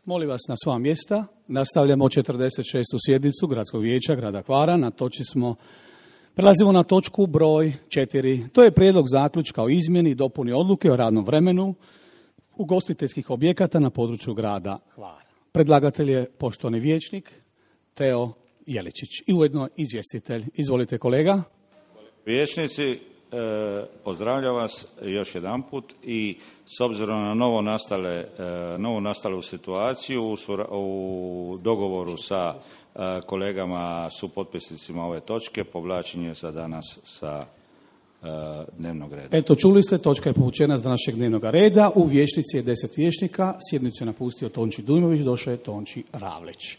Molim vas na sva mjesta. Nastavljamo 46. sjednicu Gradskog vijeća grada Hvara. Prelazimo na točku broj 4. To je prijedlog zaključka o izmjeni i dopuni odluke o radnom vremenu ugostiteljskih objekata na području grada Hvara. Predlagatelj je poštovani vijećnik Teo Jeličić i ujedno izvjestitelj. Izvolite kolega. Vijećnici, pozdravljam vas još jedanput i s obzirom na novo nastalu situaciju u dogovoru sa kolegama supotpisnicima ove točke povlačenje za danas sa dnevnog reda. Eto, čuli ste, točka je povučena s današnjeg dnevnog reda. U vijećnici je 10 vijećnika, sjednicu je napustio Tonči Dujmović, došao je Tonči Ravlić.